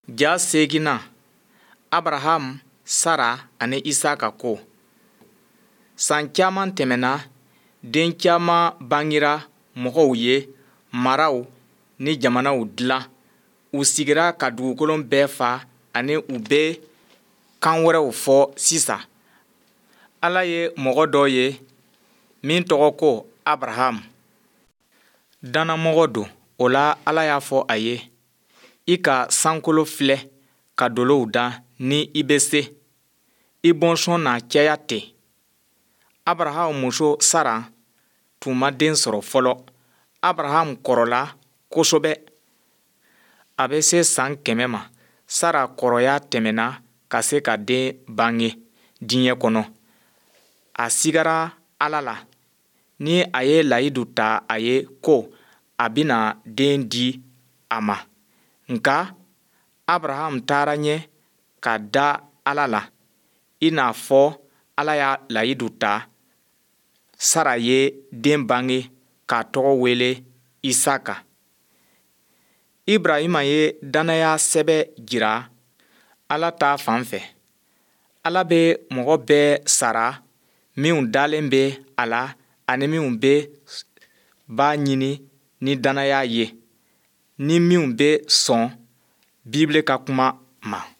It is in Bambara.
Ja seeginnan, Abraham, Sara ani Isaka ko. San caman tɛmɛnna, den caman bangera, mɔgɔw ye maraw ni jamanaw dilan, u sigira ka dugukolo bɛɛ fa ani u bɛ kan wɛrɛw fɔ sisan. Ala ye mɔgɔ dɔ ye min tɔgɔ ko Abraham. Dannamɔgɔ don, o la Ala y'a fɔ a ye, I ka sankolo filɛ ka dolow da ni i bɛ se. I bɔnsɔn na caya ten. Abraham muso Sara tun ma den sɔrɔ fɔlɔ. Abraham kɔrɔla kosɛbɛ. A bɛ se san kɛmɛ ma. Sara kɔrɔya tɛmɛna ka se ka den bange diɲɛ kɔnɔ. A sigara Ala la ni a ye layidu ta a ye ko a bɛna den di a ma. Nka Abraham taara ɲɛ ka da Ala la i n'a fɔ Ala y'a layidu ta. Sara ye den bange k'a tɔgɔ wele Isaka. Ibrahima ye dannaya sɛbɛ jira Ala ta fan fɛ. Ala bɛ mɔgɔ bɛɛ sara minw dalen bɛ a la ani minw bɛ b'a ɲini ni dannaya ye, ni minw bɛ sɔn Bibile ka kuma ma.